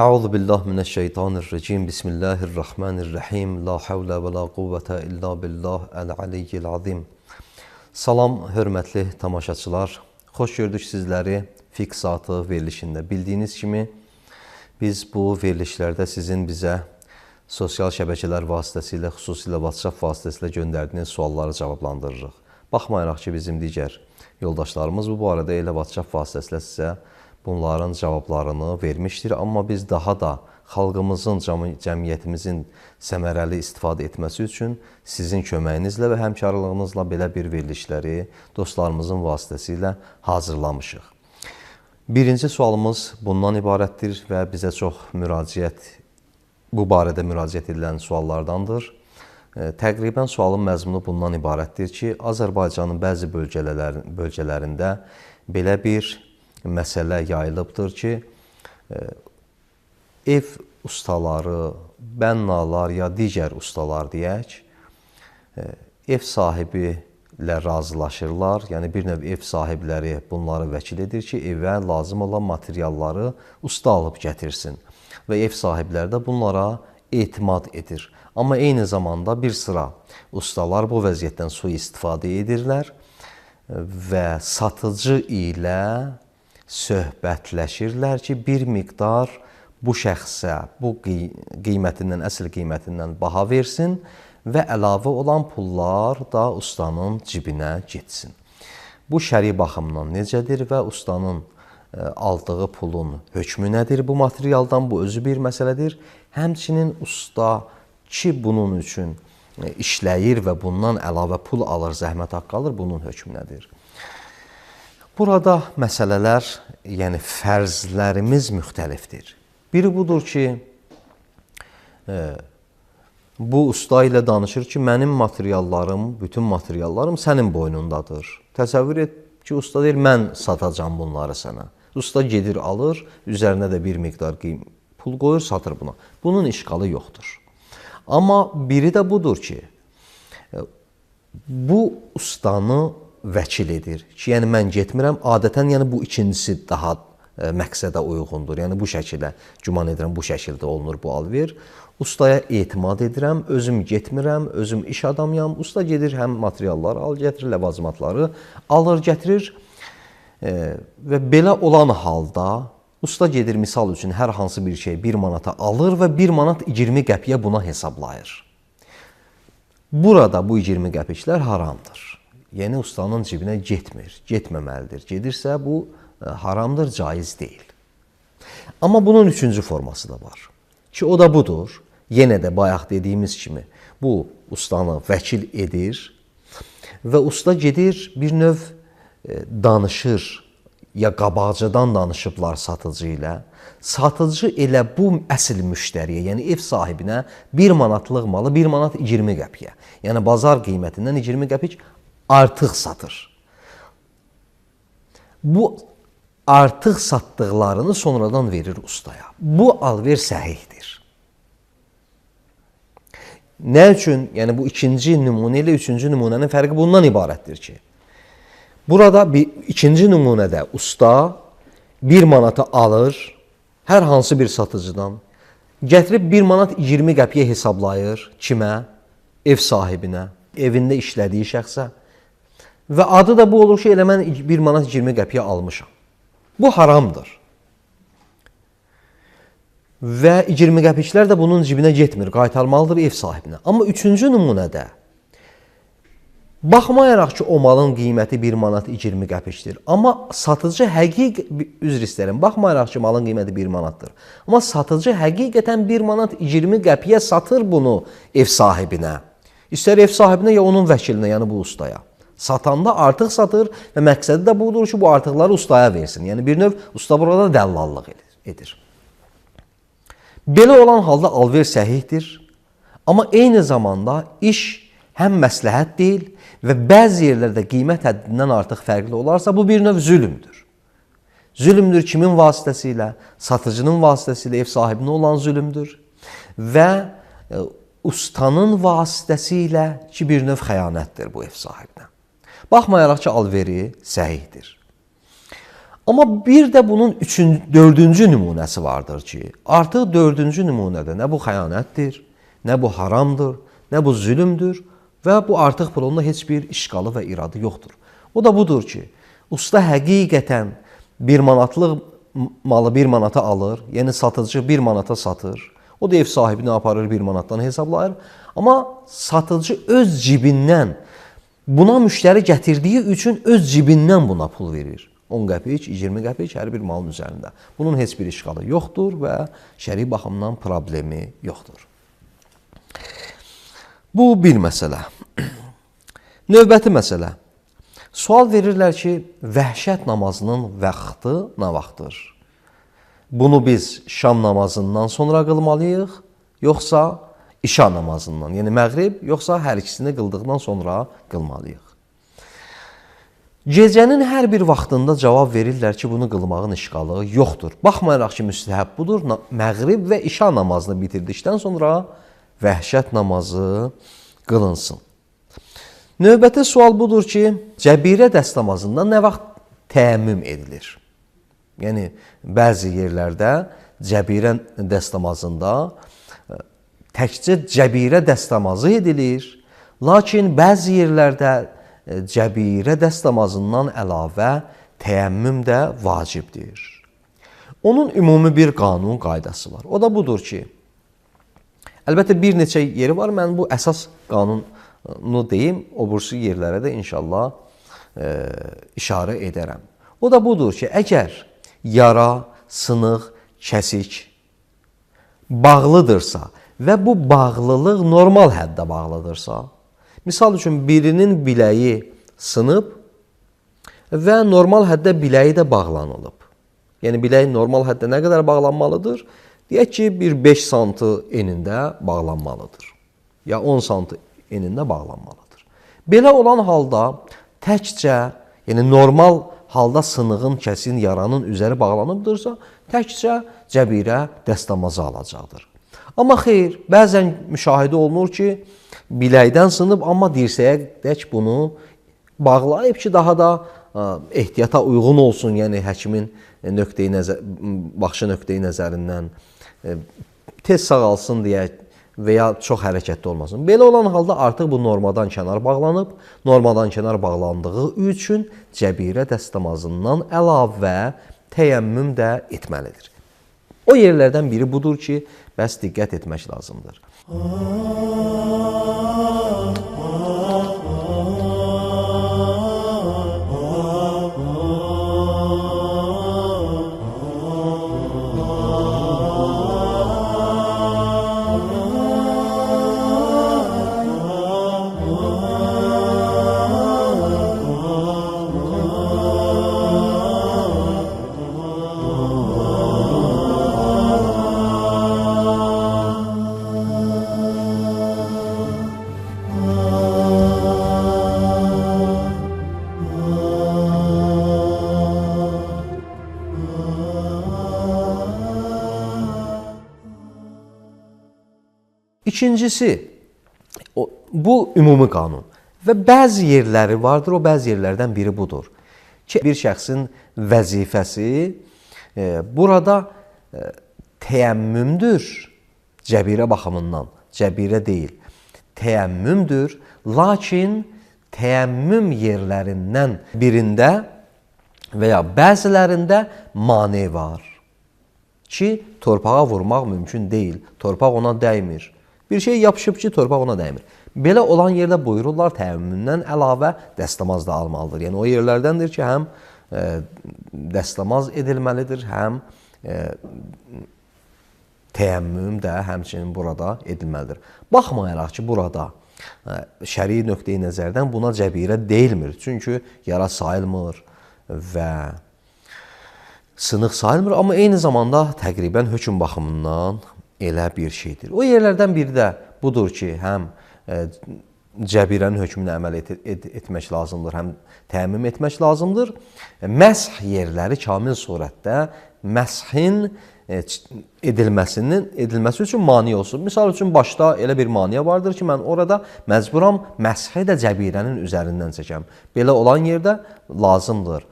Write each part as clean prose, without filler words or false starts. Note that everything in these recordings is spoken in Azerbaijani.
Euzu billahi mineşşeytanirracim. Bismillahirrahmanirrahim. La havle ve la kuvvete illa billah el-aliyyil azim. Salam, hörmətli tamaşaçılar. Xoş gördük sizləri Fiqh Saatı verilişində. Bildiyiniz kimi biz bu verilişlərdə sizin bizə sosial şəbəkələr vasitəsilə, xüsusilə WhatsApp vasitəsilə göndərdiyiniz sualları cavablandırırıq. Baxmayaraq ki, bizim digər yoldaşlarımız bu barədə elə WhatsApp vasitəsilə sizə bunların cavablarını vermişdir. Amma biz daha da xalqımızın, cəmiyyətimizin səmərəli istifadə etməsi üçün sizin köməyinizlə və həmkarlığınızla belə bir verilişləri dostlarımızın vasitəsilə hazırlamışıq. Birinci sualımız bundan ibarətdir və bizə çox bu barədə müraciət edilən suallardandır. Təqribən sualın məzmunu bundan ibarətdir ki, Azərbaycanın bəzi bölgələrində belə bir məsələ yayılıbdır ki, ev ustaları, bənnalar ya digər ustalar deyək, ev sahibi ilə razılaşırlar. Yəni bir növ ev sahibləri bunları vəkil edir ki, evə lazım olan materialları usta alıb gətirsin və ev sahibləri də bunlara etimad edir. Amma eyni zamanda bir sıra ustalar bu vəziyyətdən sui-istifadə edirlər və satıcı ilə söhbətləşirlər ki, bir miqdar bu şəxsə bu qiymətindən, əsl qiymətindən baha versin və əlavə olan pullar da ustanın cibinə getsin. Bu şəri baxımdan necədir və ustanın aldığı pulun hökmü nədir bu materialdan? Bu özü bir məsələdir. Həmçinin usta ki, bunun üçün işləyir və bundan əlavə pul alır, zəhmət haqqı alır, bunun hökmü nədir? Burada məsələlər, yəni fərzlərimiz müxtəlifdir. Biri budur ki, bu usta ilə danışır ki, mənim materiallarım, bütün materiallarım sənin boynundadır. Təsəvvür et ki, usta deyir, mən satacam bunları sənə. Usta gedir, alır, üzərinə də bir miqdar pul qoyur, satır buna. Bunun işğalı yoxdur. Amma biri də budur ki, bu ustanı vəkil edir ki, yəni mən getmirəm. Adətən yəni bu ikincisi daha məqsədə uyğundur. Yəni bu şəkildə, güman edirəm bu şəkildə olunur bu alver. Ustaya etimad edirəm, özüm getmirəm, özüm iş adamıyam. Usta gedir, həm materialları al, gətirir, ləvazimatları alır, gətirir və belə olan halda usta gedir, misal üçün hər hansı bir şey 1 manata alır və 1 manat 20 qəpiyə buna hesablayır. Burada bu 20 qəpiklər haramdır. Yəni ustanın cibinə getmir, getməməlidir. Gedirsə bu haramdır, caiz deyil. Amma bunun üçüncü forması da var ki, o da budur. Yenə də bayaq dediyimiz kimi bu ustanı vəkil edir və usta gedir bir növ danışır, ya qabaqcadan danışıblar satıcı ilə. Satıcı elə bu əsl müştəriyə, yəni ev sahibinə 1 manatlıq malı 1 manat 20 qəpiyə, yəni bazar qiymətindən 20 qəpik artıq satır. Bu artıq satdıqlarını sonradan verir ustaya. Bu alver səhihdir. Nə üçün? Yəni bu ikinci nümunə ilə üçüncü nümunənin fərqi bundan ibarətdir ki, burada ikinci nümunədə usta 1 manata alır, hər hansı bir satıcıdan, gətirib 1 manat 20 qəpiyə hesablayır. Kimə? Ev sahibinə, evində işlədiyi şəxsə. Və adı da bu olur ki, elə mən 1 manat 20 qəpiyə almışam. Bu haramdır. Və 20 qəpiklər də bunun cibinə getmir, qaytarmalıdır ev sahibinə. Amma üçüncü nümunədə, baxmayaraq ki, o malın qiyməti 1 manat 20 qəpikdir. Amma satıcı üzr istəyirəm, baxmayaraq ki, malın qiyməti 1 manatdır. Amma satıcı həqiqətən 1 manat 20 qəpiyə satır bunu ev sahibinə. İstər ev sahibinə ya onun vəkilinə, yəni bu ustaya. Satanda artıq satır və məqsədi də budur ki, bu artıqları ustaya versin. Yəni bir növ usta burada dəllallıq edir. Belə olan halda alver səhihdir. Amma eyni zamanda iş həm məsləhət deyil və bəzi yerlərdə qiymət həddindən artıq fərqli olarsa, bu bir növ zülmdür. Zülmdür kimin vasitəsilə? Satıcının vasitəsilə ev sahibinə olan zülmdür və ustanın vasitəsilə ki, bir növ xəyanətdir bu ev sahibinə. Baxmayaraq ki, alveri səhihdir. Amma bir də bunun dördüncü nümunəsi vardır ki, artıq dördüncü nümunədə nə bu xəyanətdir, nə bu haramdır, nə bu zülümdür və bu artıq bununla heç bir işqalı və iradı yoxdur. O da budur ki, usta həqiqətən 1 manatlıq malı 1 manata alır, yəni satıcı 1 manata satır. O da ev sahibini aparır 1 manatdan hesablayır. Amma satıcı öz cibindən buna müştəri gətirdiyi üçün öz cibindən buna pul verir. 10 qəpik, 20 qəpik hər bir malın üzərində. Bunun heç bir işqalı yoxdur və şəri baxımdan problemi yoxdur. Bu bir məsələ. Növbəti məsələ. Sual verirlər ki, vəhşət namazının vaxtı nə vaxtdır? Bunu biz şam namazından sonra qılmalıyıq, yoxsa işa namazından, yəni məğrib, yoxsa hər ikisini qıldıqdan sonra qılmalıyıq? Gecənin hər bir vaxtında cavab verirlər ki, bunu qılmağın işqalı yoxdur. Baxmayaraq ki, müstəhəb budur, məğrib və işa namazını bitirdikdən sonra vəhşət namazı qılınsın. Növbəti sual budur ki, cəbirə dəst namazında nə vaxt təəmmüm edilir? Yəni, bəzi yerlərdə cəbirə dəst namazında təkcə cəbirə dəst namazı edilir, lakin bəzi yerlərdə cəbirə dəst namazından əlavə təəmmüm də vacibdir. Onun ümumi bir qanun qaydası var. O da budur ki, əlbəttə bir neçə yeri var, mən bu əsas qanunu deyim, o bursu yerlərə də inşallah işarə edərəm. O da budur ki, əgər yara, sınıq, kəsik bağlıdırsa və bu bağlılıq normal həddə bağlıdırsa, misal üçün, birinin biləyi sınıb və normal həddə biləyi də bağlanılıb. Yəni, bilək normal həddə nə qədər bağlanmalıdır? Deyək ki, bir 5 santı enində bağlanmalıdır. Ya 10 santı enində bağlanmalıdır. Belə olan halda təkcə, yəni normal halda sınığın, kəsin, yaranın üzəri bağlanıbdırsa, təkcə cəbirə dəst namazı alacaqdır. Amma xeyr, bəzən müşahidə olunur ki, biləkdən sınıb, amma dirsəyədək bunu bağlayıb ki, daha da ehtiyata uyğun olsun, yəni həkimin baxışı nöqteyi nəzərindən tez sağalsın deyə və ya çox hərəkətli olmasın. Belə olan halda artıq bu normadan kənar bağlanıb, normadan kənar bağlandığı üçün cəbirə dəst namazından əlavə təyəmmüm də etməlidir. O yerlərdən biri budur ki, bəs diqqət etmək lazımdır. İkincisi, bu ümumi qanun və bəzi yerləri vardır, o bəzi yerlərdən biri budur ki, bir şəxsin vəzifəsi burada təyəmmümdür, cəbirə baxımından, cəbirə deyil, təyəmmümdür, lakin təyəmmüm yerlərindən birində və ya bəzilərində mane var ki, torpağa vurmaq mümkün deyil, torpaq ona dəymir. Bir şey yapışıb ki, torpaq ona dəymir. Belə olan yerdə buyururlar, təyəmmümdən əlavə dəstəmaz da almalıdır. Yəni, o yerlərdəndir ki, həm dəstəmaz edilməlidir, həm təyəmmüm də həmçinin burada edilməlidir. Baxmayaraq ki, burada şəri nöqteyi nəzərdən buna cəbirə deyilmir. Çünki yara sayılmır və sınıq sayılmır, amma eyni zamanda təqribən hökm baxımından elə bir şeydir. O yerlərdən biri də budur ki, həm cəbirənin hökmünə əməl etmək lazımdır, həm təəmmüm etmək lazımdır. Məsh yerləri kamil surətdə məshin edilməsi üçün mani olsun. Misal üçün, başda elə bir maniyə vardır ki, mən orada məcburam məshi də cəbirənin üzərindən çəkəm. Belə olan yerdə lazımdır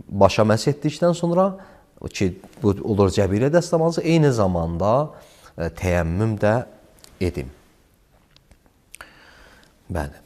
başa məs etdikdən sonra ki, bu olur cəbirə dəstəmazı, eyni zamanda təyəmmüm də edim. Bəli.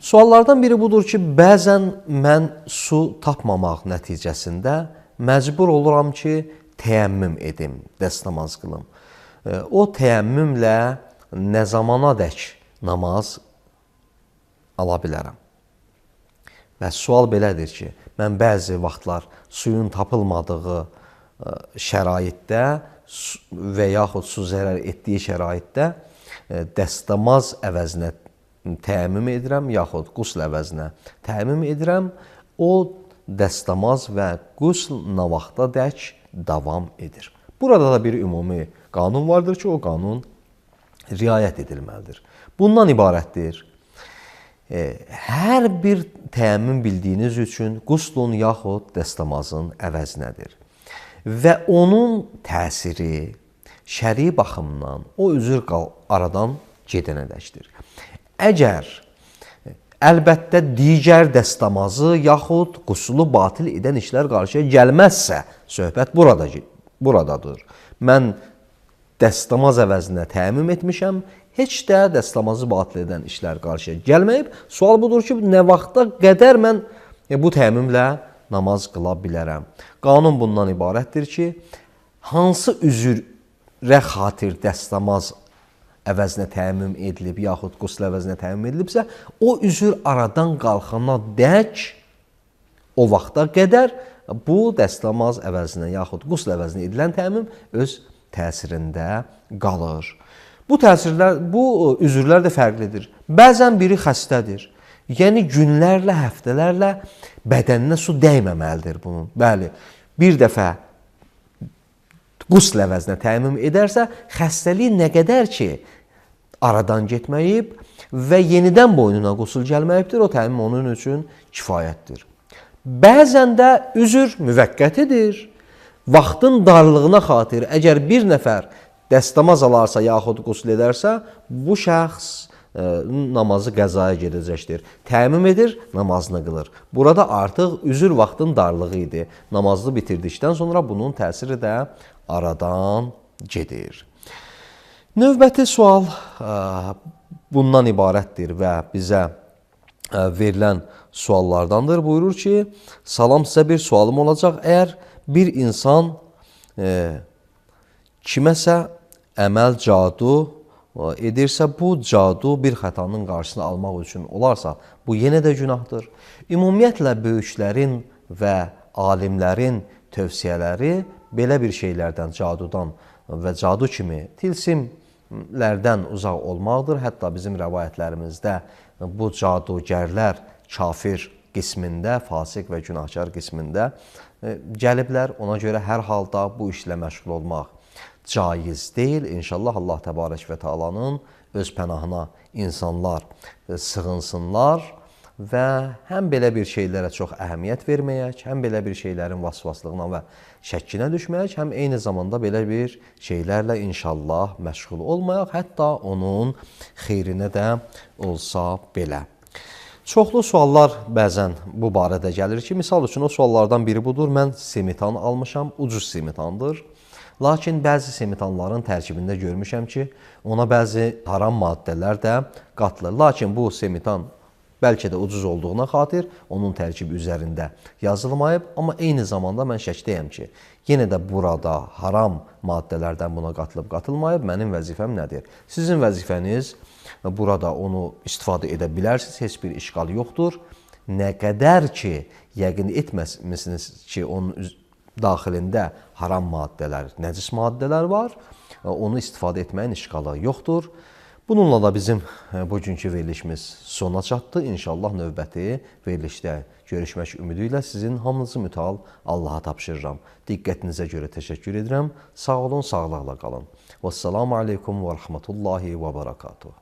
Suallardan biri budur ki, bəzən mən su tapmamaq nəticəsində məcbur oluram ki, təyəmmüm edim, dəstəmaz qılım. O təyəmmümlə nə zamanadək namaz ala bilərəm? Və sual belədir ki, mən bəzi vaxtlar suyun tapılmadığı şəraitdə və yaxud su zərər etdiyi şəraitdə dəstəmaz əvəzinə təyəmmüm edirəm, yaxud qusl əvəzinə təyəmmüm edirəm. O dəstəmaz və qusl nə vaxtadək davam edir. Burada da bir ümumi qanun vardır ki, o qanun riayət edilməlidir. Bundan ibarətdir. Hər bir təyəmmüm bildiyiniz üçün quslun yaxud dəstəmazın əvəzinədir. Və onun təsiri şəri baxımdan o üzr aradan gedənədəkdir. Əgər əlbəttə digər dəstəmazı yaxud quslu batil edən işlər qarşıya gəlməzsə, söhbət buradadır. Mən dəstəmaz əvəzinə təyəmmüm etmişəm, heç də dəstəmazı batil edən işlər qarşıya gəlməyib. Sual budur ki, nə vaxta qədər mən bu təyəmmümlə namaz qıla bilərəm? Qanun bundan ibarətdir ki, hansı üzrə xatir dəstəmaz əvəzinə təyəmmüm edilib, yaxud qusl əvəzinə təyəmmüm edilibsə, o üzr aradan qalxana dək, o vaxta qədər bu dəstəmaz əvəzinə, yaxud qusl əvəzinə edilən təyəmmüm öz təsirində qalır. Bu üzrlər də fərqlidir. Bəzən biri xəstədir. Yəni, günlərlə, həftələrlə bədəninə su dəyməməlidir bunun. Bəli, bir dəfə qusl əvəzinə təyəmmüm edərsə, xəstəlik nə qədər ki, aradan getməyib və yenidən boynuna qusl gəlməyibdir, o təyəmmüm onun üçün kifayətdir. Bəzən də üzr müvəqqətidir. Vaxtın darlığına xatir, əgər bir nəfər dəstəmaz alarsa, yaxud qusl edərsə, bu şəxs namazı qəzaya gedəcəkdir. Təyəmmüm edir, namazını qılır. Burada artıq üzr vaxtın darlığı idi. Namazını bitirdikdən sonra bunun təsiri də aradan gedir. Növbəti sual bundan ibarətdir və bizə verilən suallardandır. Buyurur ki, salam, sizə bir sualım olacaq. Əgər bir insan kiməsə əməl cadu edirsə, bu cadu bir xətanın qarşısını almaq üçün olarsa, bu yenə də günahdır. Ümumiyyətlə, böyüklərin və alimlərin tövsiyələri belə bir şeylərdən, cadudan və cadu kimi tilsimlərdən uzaq olmaqdır. Hətta bizim rəvayətlərimizdə bu cadugərlər kafir qismində, fasiq və günahkar qismində gəliblər. Ona görə hər halda bu işlə məşğul olmaq caiz deyil. İnşallah Allah təbarək və Taalanın öz pənahına insanlar sığınsınlar və həm belə bir şeylərə çox əhəmiyyət verməyək, həm belə bir şeylərin vasvaslığına və şəkkinə düşməyək, həm eyni zamanda belə bir şeylərlə inşallah məşğul olmayaq, hətta onun xeyrinə də olsa belə. Çoxlu suallar bəzən bu barədə gəlir ki, misal üçün o suallardan biri budur, mən semitan almışam, ucuz semitandır. Lakin bəzi semitanların tərkibində görmüşəm ki, ona bəzi haram maddələr də qatılır. Lakin bu semitan bəlkə də ucuz olduğuna xatir onun tərkibi üzərində yazılmayıb, amma eyni zamanda mən şəkdəyəm ki, yenə də burada haram maddələrdən buna qatılıb-qatılmayıb, mənim vəzifəm nədir? Sizin vəzifəniz burada onu istifadə edə bilərsiniz, heç bir işgal yoxdur. Nə qədər ki, yəqin etməmisiniz ki, onun daxilində haram maddələr, nəcis maddələr var, onu istifadə etməyin işqalı yoxdur. Bununla da bizim bugünkü verilişimiz sona çatdı. İnşallah növbəti verilişdə görüşmək ümidi ilə sizin hamınızı mütəal Allaha tapşırıram. Diqqətinizə görə təşəkkür edirəm. Sağ olun, sağlıqla qalın. Vəssalamu aleykum və rəhmətullahi və barakatuhu.